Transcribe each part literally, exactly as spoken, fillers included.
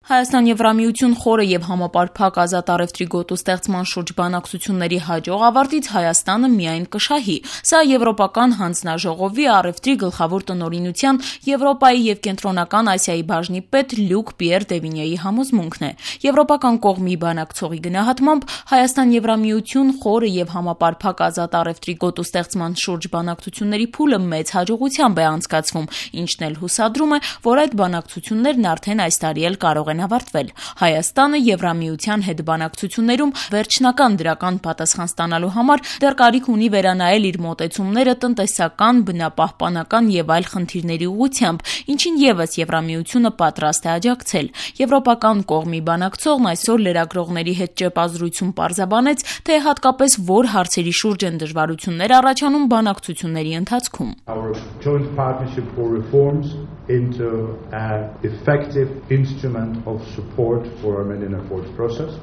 Հայաստան-Եվրամիություն խորը եւ համապարփակ ազատ առևտրի գոտու ստեղծման շուրջ բանակցությունների հաջող ավարտից Հայաստանը միայն կշահի։ Սա Եվրոպական հանձնաժողովի առևտրի գլխավոր տնօրինության Եվրոպայի եւ Կենտրոնական Ասիայի բաժնի պետ Լյուկ Պիեր Դևինյեի համոզմունքն է։ Եվրոպական կողմի բանակցողի գնահատմամբ Հայաստան-Եվրամիություն խորը եւ համապարփակ ազատ առևտրի գոտու ստեղծման շուրջ բանակցությունների փուլը մեծ հաջողությամբ է անցկացվում, ինչն էլ հուսադրում է, որ այդ բանակցություններն արդեն այս տարի էլ կարող են ավարտվել։ Հայաստանը Եվրամիության հետ բանակցություններում վերջնական դրական պատասխան ստանալու համար դեռ կարիք ունի վերանայել իր մոտեցումները տնտեսական, բնապահպանական եւ այլ խնդիրների ուղղությամբ, ինչին եւս Եվրամիությունը պատրաստ է աջակցել։ Եվրոպական կողմի բանակցողն այսօր լրագրողների հետ ճեպազրույցում պարզաբանեց, թե հատկապես որ հարցերի շուրջ են դժվարություններ առաջանում բանակցությունների ընթացքում։ Into an effective instrument of support for Armenian efforts process.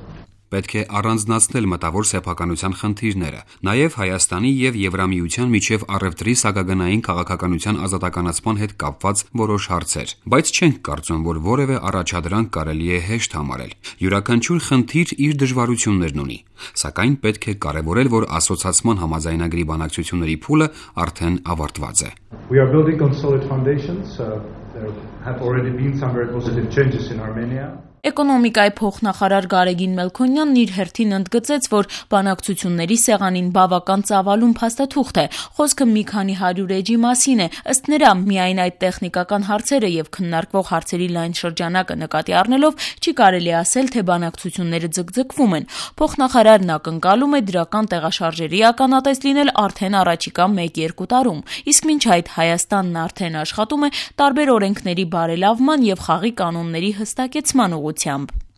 Պետք է առանձնացնել մտավոր սեփականության խնդիրները, նաև Հայաստանի եւ Եվրամիության միջև առևտրի սահմանային քաղաքականության ազատականացման հետ կապված որոշ հարցեր, բայց չենք կարծում, որ որևէ առաջադրանք կարելի է հեշտ համարել։ Յուրաքանչյուր խնդիր իր դժվարություններն ունի, սակայն պետք է կարևորել, որ ասոցիացման համաձայնագրի բանակցությունների փուլը արդեն ավարտված է։ We are building on solid foundations. Uh, there have already been some very positive changes in Armenia. Էկոնոմիկայի փոխնախարար Գարեգին Մելքոնյանն իր հերթին ընդգծեց, որ բանակցությունների սեղանին բավական ծավալուն փաստաթուղթ է։ Խոսքը մի քանի հարյուր էջի մասին է։ Ըստ նրա, միայն այդ տեխնիկական հարցերը եւ քննարկվող հարցերի լայն շրջանակը նկատի առնելով չի կարելի ասել, թե բանակցությունները ձգձգվում են։ Փոխնախարարն ակնկալում է դրական տեղաշարժերի ականատես լինել արդեն առաջիկա մեկ-երկու տարում։ Իսկ մինչ այդ Հայաստանն արդեն աշխատում է տարբեր օրենքների բարելավման եւ խաղի կանոնների հստակեցման ուղղությամբ։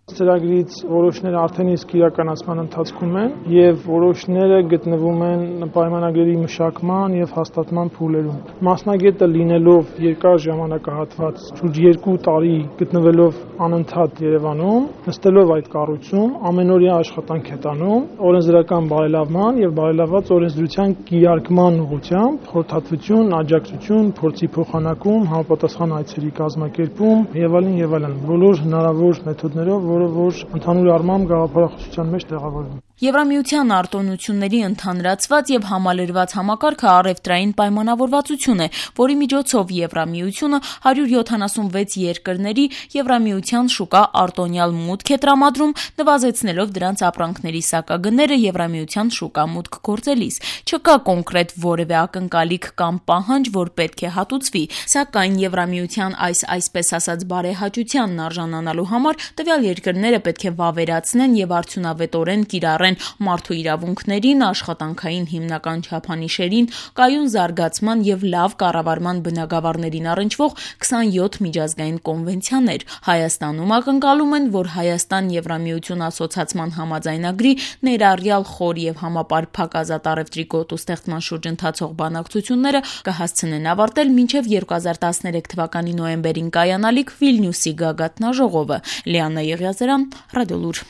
Ծրագրից որոշները արդեն իսկ իրականացման ընթացքում են եւ որոշները գտնվում են պայմանագրերի մշակման եւ հաստատման փուլերում։ Մասնագետը լինելով երկար ժամանակահատված, շուրջ երկու տարի գտնվելով անընդհատ Երևանում, նստելով այդ կառույցում, ամենօրյա աշխատանք է տանում օրենսդրական բարելավման եւ բարելավված օրենսդրության կիրարկման ուղղությամբ, խորհրդատվություն, աջակցություն, փորձի փոխանակում, համապատասխան այցերի կազմակերպում եւ այլն եւ այլն։ Բոլոր հնարավոր մեթոդներով, որ ընդհանուր առմամբ գաղափարախոսության մեջ տեղավորվում։ Եվրամիության արտոնությունների ընդհանրացված եւ համալրված համակարգը առևտրային պայմանավորվածություն է, որի միջոցով Եվրամիությունը հարյուր յոթանասունվեց երկրների Եվրամիության շուկա արտոնյալ մուտք է տրամադրում, նվազեցնելով դրանց ապրանքների սակագները Եվրամիության շուկա մուտք գործելիս։ Չկա կոնկրետ որևէ ակնկալիք կամ պահանջ, որ պետք է հատուցվի, սակայն Եվրամիության այս այսպես ասած բարեհաճությանն արժանանալու համար տվյալ երկրները պետք է վավերացնեն եւ արդյունավետորեն կիրառեն մարդու իրավունքներին, աշխատանքային հիմնական չափանիշերին, կայուն զարգացման եւ լավ կառավարման բնագավառներին առնչվող քսանյոթ միջազգային կոնվենցիաներ։ Հայաստանում ակնկալում են, որ Հայաստան-Եվրամիություն ասոցիացման համաձայնագրի ներառյալ խոր եւ համապարփակ ազատ առևտրի գոտու ստեղծման շուրջ ընթացող բանակցությունները կհասցնեն ավարտել մինչեւ երկու հազար տասներեք թվականի նոյեմբերին կայանալիք Վիլնյուսի գագաթնաժողովը։ Լիաննա Եղիազարյան, Ռադիոլուր։